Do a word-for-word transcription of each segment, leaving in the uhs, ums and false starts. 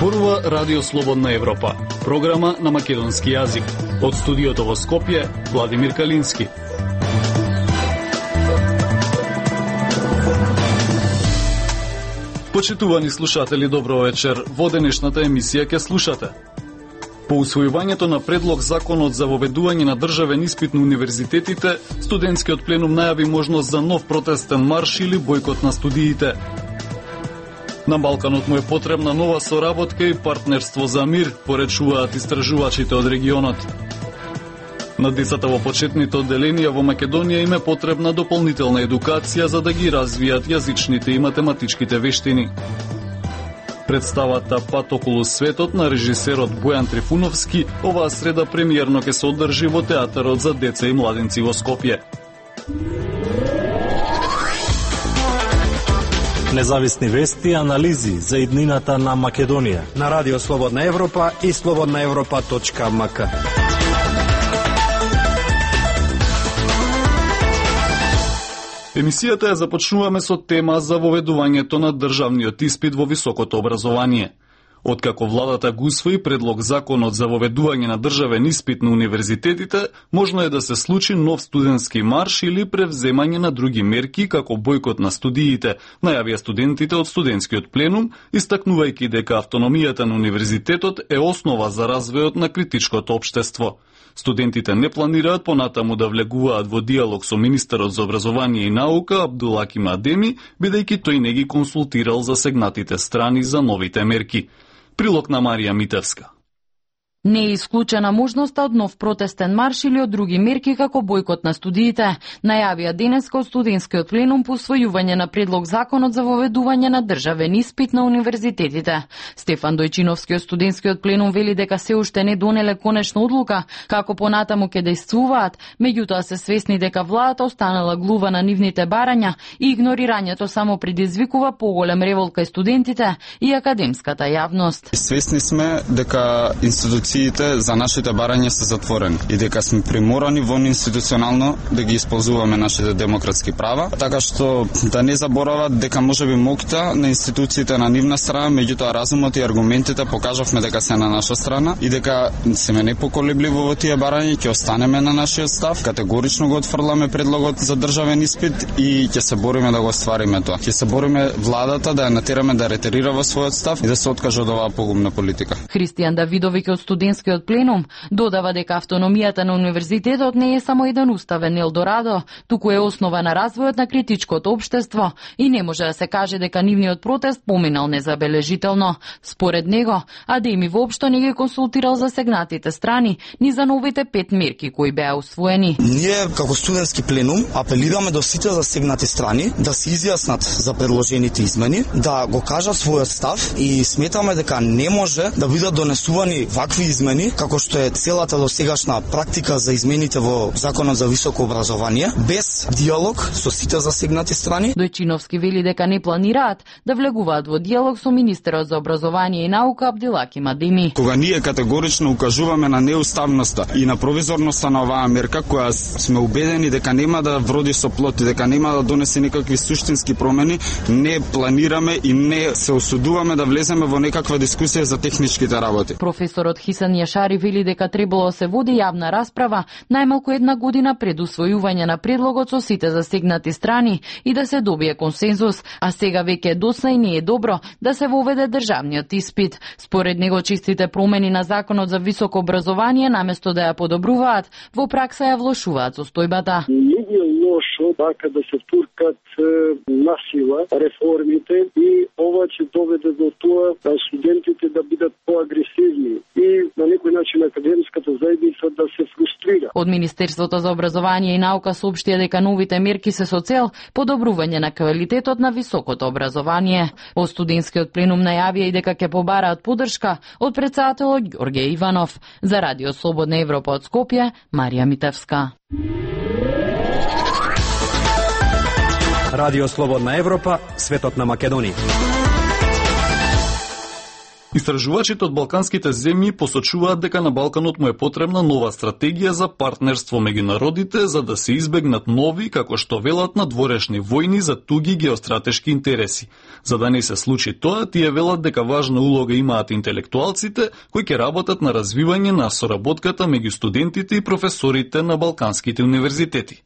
Зборува Радио Слободна Европа, програма на македонски јазик. Од студиото во Скопје, Владимир Калински. Почитувани слушатели, добро вечер. Во денешната емисија ќе слушате: по усвојувањето на предлог законот за воведување на државен испит на универзитетите, студентскиот пленум најави можност за нов протестен марш или бојкот на студиите. На Балканот му е потребна нова соработка и партнерство за мир, поречуваат истражувачите од регионот. На децата во почетните одделенија во Македонија им е потребна дополнителна едукација за да ги развијат јазичните и математичките вештини. Представата Пат околу светот на режисерот Бојан Трифуновски оваа среда премиерно ќе се одржи во театарот за деца и младенци во Скопје. Независни вести и анализи за иднината на Македонија на Радио Слободна Европа и слободна европа точка ем ка. Емисијата ја започнуваме со тема за воведувањето на државниот испит во високото образование. Откако владата го усвои предлог законот за воведување на државен испит на универзитетите, можно е да се случи нов студентски марш или превземање на други мерки како бојкот на студиите, најавија студентите од студентскиот пленум, истакнувајќи дека автономијата на универзитетот е основа за развојот на критичкото општество. Студентите не планираат понатаму да влегуваат во диалог со министерот за образование и наука Абдулаким Адеми, бидејќи тој не ги консултирал засегнатите страни за новите мерки. Прилог на Марија Митевска. Не е исклучена можноста од нов протестен марш или од други мерки како бојкот на студиите, најавија денеска од студентскиот пленум по усвојување на предлог законот за воведување на државен испит на универзитетите. Стефан Дојчиновски од студентскиот пленум вели дека се уште не донеле конечна одлука како понатаму ќе действуваат, меѓутоа се свесни дека владата останала глува на нивните барања и игнорирањето само предизвикува поголем револт кај студентите и академската јавност. Свесни сме дека институциите за нашите барања се затворени и дека сме приморани вон институционално да ги исползуваме нашите демократски права, така што да не заборават дека можеби моќта на институциите на нивна страна, меѓутоа разумот и аргументите покажавме дека се на наша страна и дека сме непоколебливи во тие барања, ќе останеме на нашиот став, категорично го отфрламе предлогот за државен испит и ќе се бориме да го оствариме тоа. Ќе се бориме владата да ја натераме да ретерира во својот став и да се откаже од оваа погубна политика. Христијан Давидовиќ од студентскиот пленум додава дека автономијата на универзитетот не е само еден уставен елдорадо, туку е основа на развојот на критичкото општество и не може да се каже дека нивниот протест поминал незабележително. Според него, Адеми воопшто не ги консултирал засегнатите страни ни за новите пет мерки кои беа усвоени. Ние како студентски пленум апелираме до сите засегнати страни да се изјаснат за предложените измени, да го кажат својот став и сметаме дека не може да бидат донесувани вакви измени како што е целата досегашна практика за измените во Законот за високо образование, без диалог со сите засегнати страни. Дојчиновски вели дека не планираат да влегуваат во диалог со министерот за образование и наука Абдулаким Адеми. Кога ние категорично укажуваме на неуставноста и на провизорноста на оваа мерка, која сме убедени дека нема да вроди со плод и дека нема да донесе никакви суштински промени, не планираме и не се осудуваме да влеземе во некаква дискусија за техничките работи. Професорот Хисан Јашари вели дека требало се води јавна расправа најмалку една година пред усвојување на предлогот со сите засегнати страни и да се добие консензус, а сега веќе е досна и не е добро да се воведе државниот испит. Според него чистите промени на законот за високо образование наместо да ја подобруваат, во пракса ја влошуваат состојбата. Не е лошо така да се туркат насила реформите и ова ќе доведе до тоа да студентите да бидат поагресивни и на некој начин академската заедница да се фрустрира. Од Министерството за образование и наука соопштија дека новите мерки се со цел подобрување на квалитетот на високото образование. Од студентскиот пленум најавија и дека ќе побараат поддршка од претседателот Ѓорѓе Иванов. За Радио Слободна Европа од Скопје, Марија Митевска. Радио Слободна Европа, светот на Македонија. Истражувачите од балканските земји посочуваат дека на Балканот му е потребна нова стратегија за партнерство меѓу народите за да се избегнат нови, како што велат, надворешни војни за туги геостратешки интереси. За да не се случи тоа, тие велат дека важна улога имаат интелектуалците кои ќе работат на развивање на соработката меѓу студентите и професорите на балканските универзитети.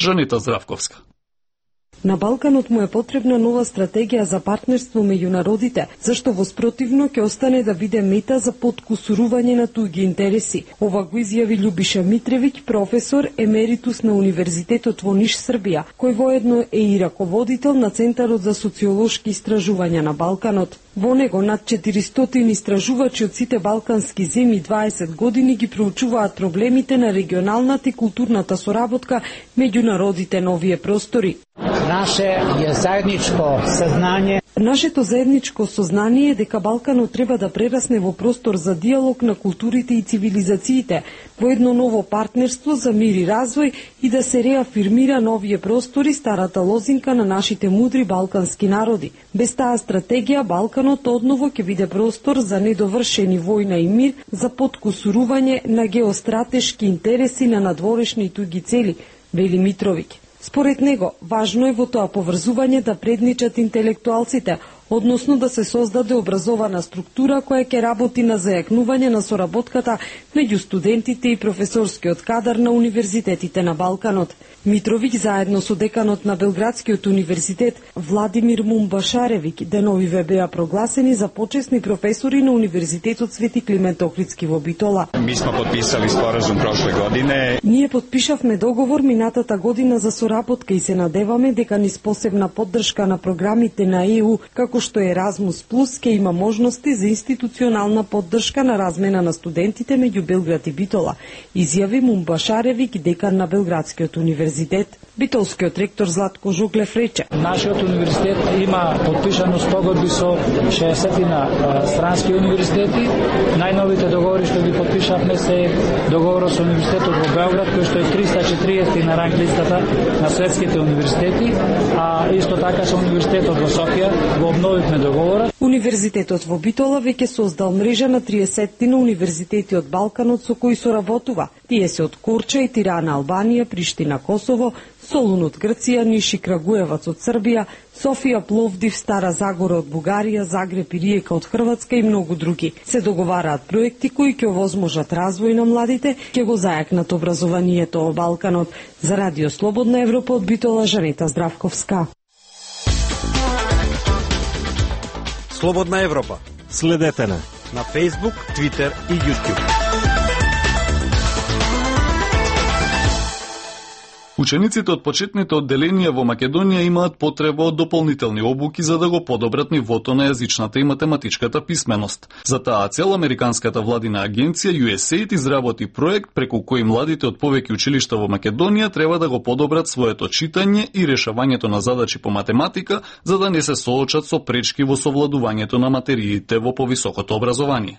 Жанета Здравковска. На Балканот му е потребна нова стратегија за партнерство меѓу народите, зашто во спротивно ќе остане да биде мета за подкусурување на туги интереси. Ова го изјави Љубиша Митревиќ, професор емеритус на Универзитетот во Ниш, Србија, кој воедно е и раководител на Центарот за социолошки истражувања на Балканот. Во него над четиристотини истражувачи од сите балкански земји дваесет години ги проучуваат проблемите на регионалната и културната соработка меѓу народите на овие простори. Наше е заедничко сознање. Нашето заедничко сознание е дека Балканот треба да прерасне во простор за диалог на културите и цивилизациите, во едно ново партнерство за мир и развој и да се реафирмира на овие простори старата лозинка на нашите мудри балкански народи. Без таа стратегија Балканот одново ќе биде простор за недовршени војна и мир, за подкусурување на геостратешки интереси на надворешни и туги цели, вели Митровиќ. Според него, важно е во тоа поврзување да предничат интелектуалците, односно да се создаде образована структура која ќе работи на зајакнување на соработката меѓу студентите и професорскиот кадар на универзитетите на Балканот. Митровиќ заедно со деканот на Белградскиот универзитет Владимир Мумбашаревиќ деновиве беа прогласени за почесни професори на Универзитетот Свети Климент Охридски во Битола. Ми смо подписали споразум прошле године. Ние подпишавме договор минатата година за соработка и се надеваме дека низ посебна поддршка на програмите на Е У, како што Еразмус Плюс, ќе има можности за институционална поддршка на размена на студентите меѓу Белград и Битола, изјави Мумбашаревиќ, декан на Белградскиот универзитет. Битолскиот ректор Златко Жуглев рече: Нашиот универзитет има подпишано спогодби со шеесет на странски универзитети. Најновите договори што ги подпишавме се договорот со универзитетот во Белград, кој што е триста и четириесет на ранг листата на светските универзитети, а исто така со универзитетот во Софија го обновивме договорот. Универзитетот во Битола веќе создал мрежа на триесет на универзитети од Балканот со кои соработува. Тие се од Корча и Тирана, Албанија, Приштина, Косово, Солун од Грција, Ниш и Крагуевац од Србија, Софија, Пловдив, Стара Загора од Бугарија, Загреб и Риека од Хрватска и многу други. Се договараат проекти кои ќе овозможат развој на младите, ќе го зајакнат образованието во Балканот. За Радио Слободна Европа од Битола, Жанета Здравковска. Слободна Европа. Следете на на Facebook, Twitter и YouTube. Учениците од почетните одделенија во Македонија имаат потреба од дополнителни обуки за да го подобрат нивото на јазичната и математичката писменост. За таа цел американската владина агенција Ю Ес Ей Д изработи проект преку кој младите од повеќе училишта во Македонија треба да го подобрат своето читање и решавањето на задачи по математика за да не се соочат со пречки во совладувањето на материите во повисокото образование.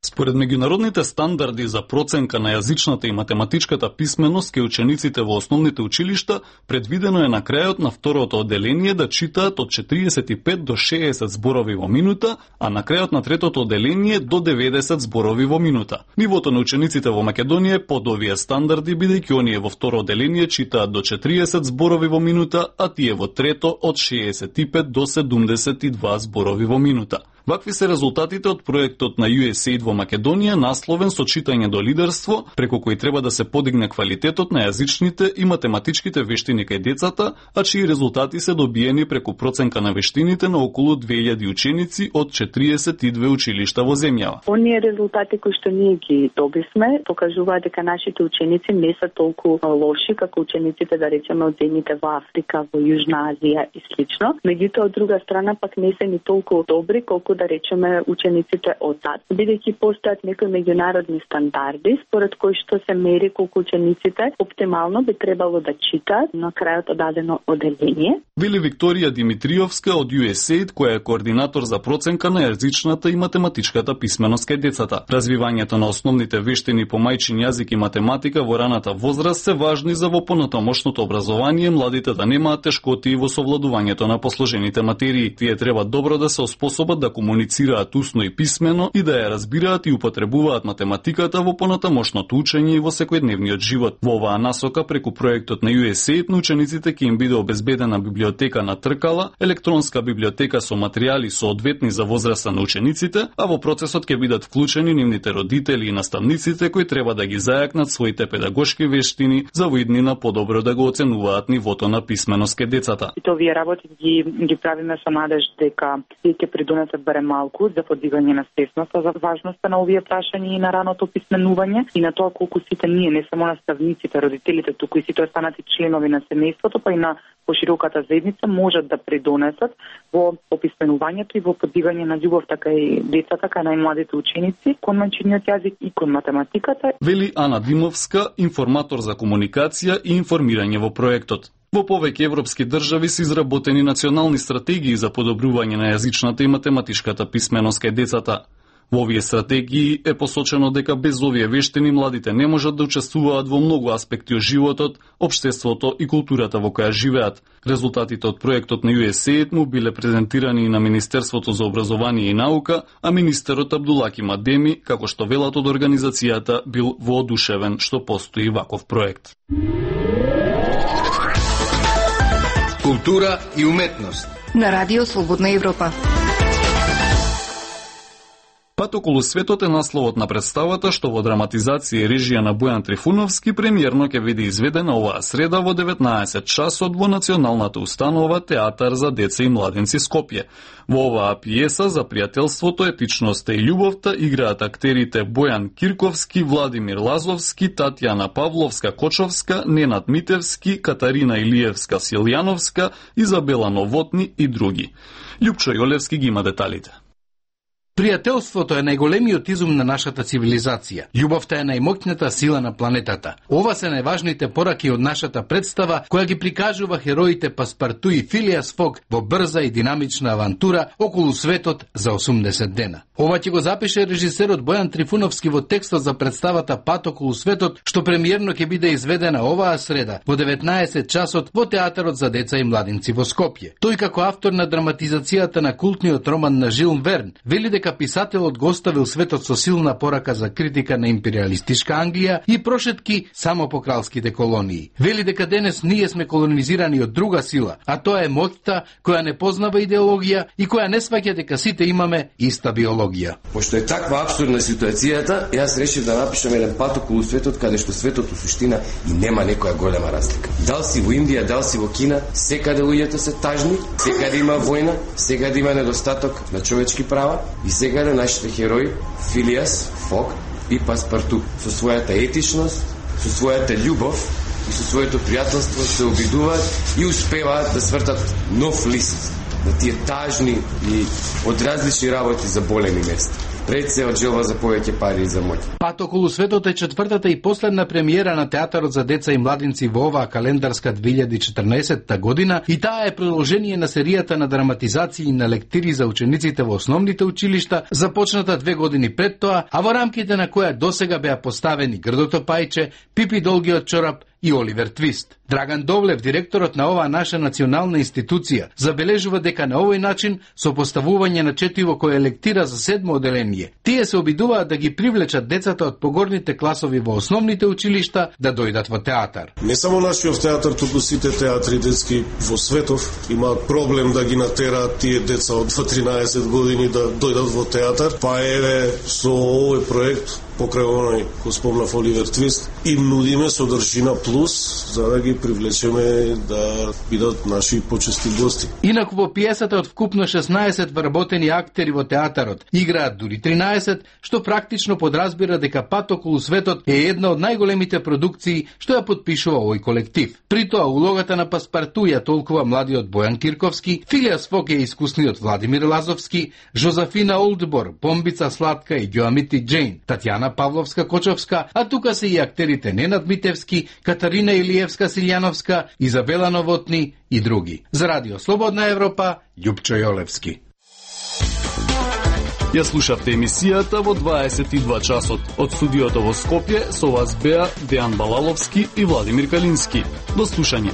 Според меѓународните стандарди за проценка на јазичната и математичката писменост кај учениците во основните училишта, предвидено е на крајот на второто одделение да читаат од четириесет и пет до шеесет зборови во минута, а на крајот на третото одделение до деветдесет зборови во минута. Нивото на учениците во Македонија е под овие стандарди, бидејќи оние во второ одделение читаат до четириесет зборови во минута, а тие во трето од шеесет и пет до седумдесет и два зборови во минута. Вакви се резултатите од проектот на Ю Ес Ей Д во Македонија, насловен со читање до лидерство, преку кој треба да се подигне квалитетот на јазичните и математичките вештини кај децата, а чии резултати се добиени преку проценка на вештините на околу две илјади ученици од четириесет и две училишта во земјава. Оние резултати кои што ние ги добивме покажуваат дека нашите ученици не се толку лоши како учениците, да речеме, од земјите во Африка, во Јужна Азија и слично. Меѓутоа, од друга страна пак не се ни толку добри колку да речеме учениците од САД, бидејќи постојат некои меѓународни стандарди според кои што се мери колку учениците оптимално би требало да читаат на крајот од дадено оделение. Вели Викторија Димитриовска од ю ес ей ай ди, која е координатор за проценка на јазичната и математичката писменост кај децата. Развивањето на основните вештини по мајчин јазик и математика во раната возраст се важни за во понатамошното образование младите да немаат тешкоти во совладувањето на посложените материи. Тие треба добро да се оспособат да комуницираат усно и писмено и да ја разбираат и употребуваат математиката во понатамошното учење и во секојдневниот живот. Во оваа насока преку проектот на ю ес ей ай ди на учениците ќе им биде обезбедена библиотека на тркала, електронска библиотека со материјали соодветни за возраста на учениците, а во процесот ќе бидат вклучени нивните родители и наставниците кои треба да ги зајакнат своите педагошки вештини за во иднина подобро да го оценуваат нивото на писменост кај децата. И овие работи ги ги правиме со надеж дека тие ќе придонесат барем малку за подигање на свесноста за важноста на овие прашања и на раното писменување и на тоа колку сите ние, не само наставниците, родителите, туку и сите останати членови на семејството, па и на пошироката заедница можат да придонесат во описменувањето и во подигање на љубовта кај децата, кај најмладите ученици, кон мајчиниот јазик и кон математиката. Вели Ана Димовска, информатор за комуникација и информирање во проектот. Во повеќе европски држави се изработени национални стратегии за подобрување на јазичната и математичката писменост кај децата. Во овие стратегии е посочено дека без овие вештини младите не можат да учествуваат во многу аспекти од животот, општеството и културата во која живеат. Резултатите од проектот на ю ес ей ай ди му биле презентирани и на Министерството за образование и наука, а министерот Абдулаки Мадеми, како што велат од организацијата, бил воодушевен што постои ваков проект. Култура и уметност на Радио Слободна Европа. Пат околу светот е насловот на представата што во драматизација и режија на Бојан Трифуновски премиерно ќе биде изведена оваа среда во деветнаесет часот во Националната установа Театар за деца и младенци Скопје. Во оваа пиеса за пријателството, етичноста и љубовта играат актерите Бојан Кирковски, Владимир Лазовски, Татјана Павловска-Кочовска, Ненад Митевски, Катарина Илиевска Силјановска, Изабела Новотни и други. Љупчо Јолевски ги има деталите. Пријателството е најголемиот изум на нашата цивилизација. Љубовта е најмоќната сила на планетата. Ова се најважните пораки од нашата представа, која ги прикажува хероите Паспарту и Филиас Фог во брза и динамична авантура околу светот за осумдесет дена. Ова ќе го запише режисерот Бојан Трифуновски во текстот за представата Пат околу светот, што премиерно ќе биде изведена оваа среда во деветнаесет часот во Театарот за деца и младенци во Скопје. Тој како автор на драматизацијата на култниот роман на Жил Верн вели дека писателот го оставил светот со силна порака за критика на империалистичка Англија и прошетки само по кралските колонии. Вели дека денес ние сме колонизирани од друга сила, а тоа е моќта која не познава идеологија и која не сваќа дека сите имаме иста биологија. Пошто е таква апсурдна ситуацијата, јас решив да напишам еден пат околу светот каде што светот у суштина и нема некоја голема разлика. Дал си во Индија, дал си во Кина, секаде луѓето се тажни, секаде има војна, секаде има недостаток на човечки права и секаде нашите херои Филиас Фог и Паспарту со својата етичност, со својата љубов и со своето пријателство се обидуваат и успеваат да свртат нов лист на тие тажни и од различни работи за болеми места. Пред се од желба за повеќе пари и за моќ. Пат околу светот е четвртата и последна премиера на Театарот за деца и младенци во оваа календарска две илјади и четрнаесетта година и таа е продолжение на серијата на драматизации на лектири за учениците во основните училишта, започната две години пред тоа, а во рамките на која досега беа поставени Грдото пајче, Пипи долгиот чорап и Оливер Твист. Драган Довлев, директорот на оваа наша национална институција, забележува дека на овој начин, со поставување на четиво кое лектира за седмо оделение, тие се обидуваат да ги привлечат децата од погорните класови во основните училишта да дојдат во театар. Не само нашиот театар, туку сите театри детски во светов имаат проблем да ги натераат тие деца од дваесет тринаесет години да дојдат во театар, па еве со овој проект покрај оној кој спомнав Оливер Твист, им нудиме содржина плюс за да ги привлечеме да бидат наши почести гости. Инаку во пиесата од вкупно шеснаесет вработени актери во театарот играат дури тринаесет, што практично подразбира дека Пат околу светот е една од најголемите продукции што ја подпишува овој колектив. При тоа улогата на Паспарту ја толкува младиот Бојан Кирковски, Филиас Фок е искусниот Владимир Лазовски, Жозефина Олдбор, Помбица Сладка и Ѓоамити Џејн, Татјана Павловска-Кочовска, а тука се и актерите Ненад Митевски, Катарина Илиевска-Силјановска, Изабела Новотни и други. За Радио Слободна Европа, Љупчо Јолевски. Ја слушавте емисијата во дваесет и два часот. Од студиото во Скопје со вас беа Дејан Балаловски и Владимир Калински. До слушање.